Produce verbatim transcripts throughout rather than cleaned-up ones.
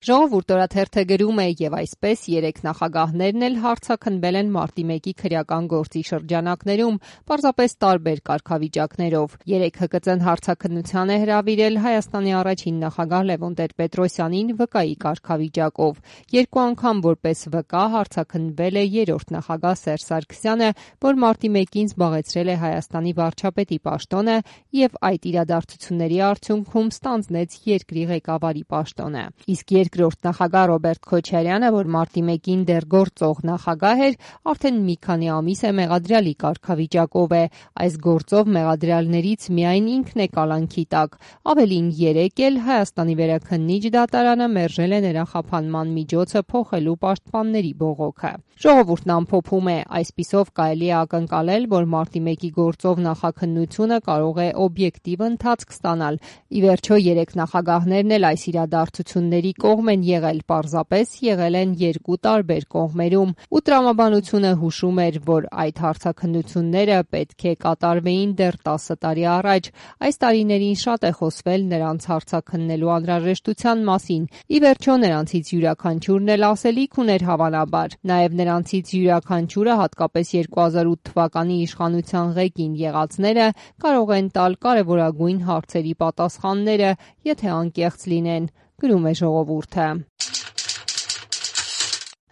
Ժողովուրդ օրաթերթը գրում է եւ այսպես երեք նախագահներն էլ հարցաքննվել են մարտի մեկի քրեական գործի շրջանակներում, պարզապես տարբեր կարգավիճակներով։ Երեք Հ Կ Ծ-ն հարցաքննության է հրավիրել Հայաստանի առաջին նախագահ Լևոն Տեր-Պետրոսյանին վկայի կարգավիճակով։ Երկու անգամ որպես վկա հարցաքննվել է երրորդ նախագահ Սերժ Սարգսյանը, որ մարտի մեկին զբաղեցրել է Հայաստանի վարչապետի պաշտոնը եւ այդ իրադարձությունների արդյունքում ստանձնեց երկրի ղեկավարի պաշտոնը։ Իսկ երկրորդ նախագահ Ռոբերտ Քոչարյանը, որ մարտի մեկին դեռ գործող նախագահ էր, արդեն մի քանի ամիս է մեղադրյալի կարգավիճակով է։ Այս գործով մեղադրյալներից միայն ինքն է կալանքի տակ։ Ավելին, երեկ էլ Հայաստանի վերաքննիչ դատարանը մերժել է նրա խափանման միջոցը փոխելու պաշտպանների բողոքը։ Ժողովուրդն ամփոփում է. այսպիսով կարելի է ակնկալել, որ մարտի մեկի գործով նախաքննությունը կարող է օբյեկտիվ ընթացք ստանալ։ Ի վերջո, երեք նախագահներն էլ այս իրադարձությունների կողմ են եղել, պարզապես եղել են երկու տարբեր կողմերում, ու տրամաբանությունը հուշում էր, որ այդ հարցաքննությունները պետք է կատարվեին դեռ տասը տարի առաջ։ Այս տարիներին շատ է խոսվել նրանց հարցաքննելու անհրաժեշտության մասին։ Ի վերջո, նրանցից յուրաքանչյուրն էլ ասելիք ուներ հավանաբար։ Նաև նրանցից յուրաքանչյուրը, հատկապես երկու հազար ութ թվականի իշխանության ղեկին եղածները, կարող են տալ կարևորագույն հարցերի պատասխանները, եթե անկեղծ լինեն, գրում է Ժողովուրդը։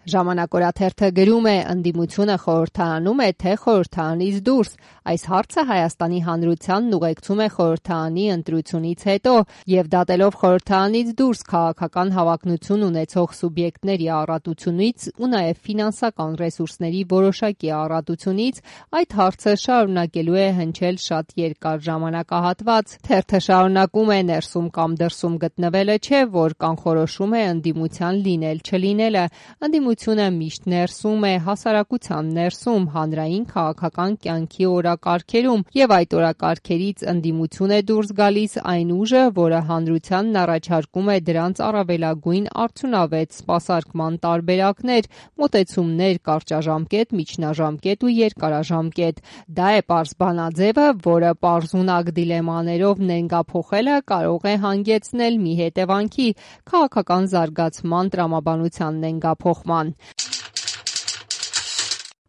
Ժամանակ օրաթերթը գրում է. ընդդիմությունը խորհրդարանում է, թե խորհրդարանից դուրս։ Այս հարցը Հայաստանի հանրությանն ուղեկցում է խորհրդարանի ընտրությունից հետո եւ դատելով խորհրդարանից դուրս քաղաքական հավակնություն ունեցող սուբյեկտների առատությունից ու նաեւ ֆինանսական ռեսուրսների որոշակի առատությունից, այդ հարցը շարունակելու է հնչել շատ երկար ժամանակահատված։ Թերթը շարունակում է. ներսում կամ դրսում գտնվելը չէ, որ կանխորոշում է ընդդիմության լինել-չլինելը։ Ընդդիմությունը միշտ ներսում է, հասարակության ներսում, հանրային քաղաքական կյանքի օրակարգերում, եւ այդ օրակարգերից ընդդիմություն է դուրս գալիս այն ուժը, որը հանրությանն առաջարկում է դրանց առավելագույն արդյունավետ սպասարկման տարբերակներ, մոտեցումներ կարճաժամկետ, միջնաժամկետ ու երկարաժամկետ։ Դա է պարզ բանաձևը, որը պարզունակ դիլեմաներով նենգափոխելը կարող է հանգեցնել մի հետևանքի՝ քաղաքական զարգացման տրամաբանության նենգափոխման։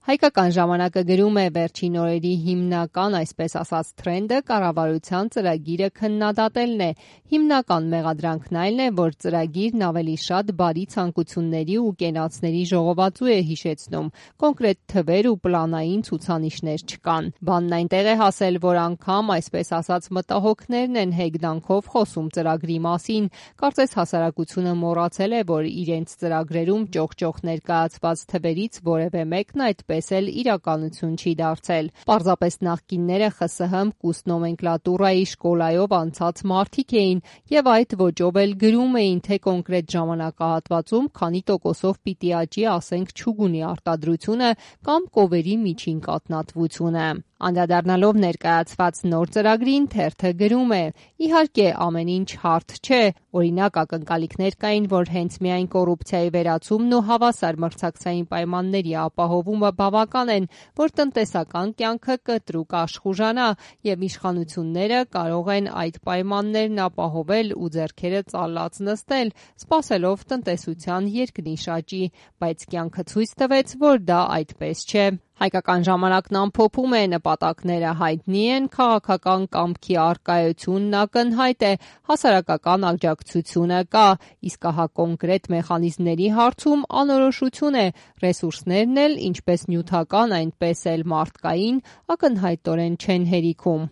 Հայկական ժամանակը գրում է. վերջին օրերի հիմնական, այսպես ասած, թրենդը կառավարության ծրագիրը քննադատելն է։ Հիմնական մեղադրանքն այն է, որ ծրագիրն ավելի շատ բարի ցանկությունների ու կենացների ժողովածու է հիշեցնում, կոնկրետ թվեր ու պլանային ցուցանիշներ չկան։ Բանն այնտեղ է հասել, որ անգամ, այսպես ասած, մտահոգներն են հեգնանքով խոսում ծրագրի մասին։ Կարծես հասարակությունը մոռացել է, որ իրենց ծրագրերում ճոխ-ճոխ ներկայացված թվերից որևէ մեկն այդպես էլ իրականություն չի դարձել։ Պարզապես նախկինները Խ ՍՀ մ-կուստ նոմենկլատուրայի շկոլայով անցած մարդիկ էին եւ այդ ոճով էլ գրում էին, թե կոնկրետ ժամանակահատվածում քանի տոկոսով պիտի աճի, ասենք, չուգունի արտադրությունը կամ կովերի միջին կաթնատվությունը։ Անդրադառնալով ներկայացված նոր ծրագրին, թերթը գրում է. իհարկե, ամեն ինչ հարթ չէ։ Օրինակ, ակնկալիքներ կային, որ հենց միայն կոռուպցիայի վերացումն ու հավասար մրցակցային պայմանների ապահովումը բավական են, որ տնտեսական կյանքը կտրուկ աշխուժանա եւ իշխանությունները կարող են այդ պայմաններն ապահովել ու ձեռքերը ծալած նստել, սպասելով տնտեսության երկնիշ աճի, բայց կյանքը ցույց տվեց, որ դա այդպես չէ։ Հայկական ժամանակն ամփոփում է. նպատակները հայտնի են, քաղաքական կամքի առկայությունն ակնհայտ է, հասարակական աջակցությունը կա, իսկ ահա կոնկրետ մեխանիզմների հարցում անորոշություն է, ռեսուրսներն էլ, ինչպես նյութական, այնպես էլ մարդկային, ակնհայտորեն չեն հերիքում։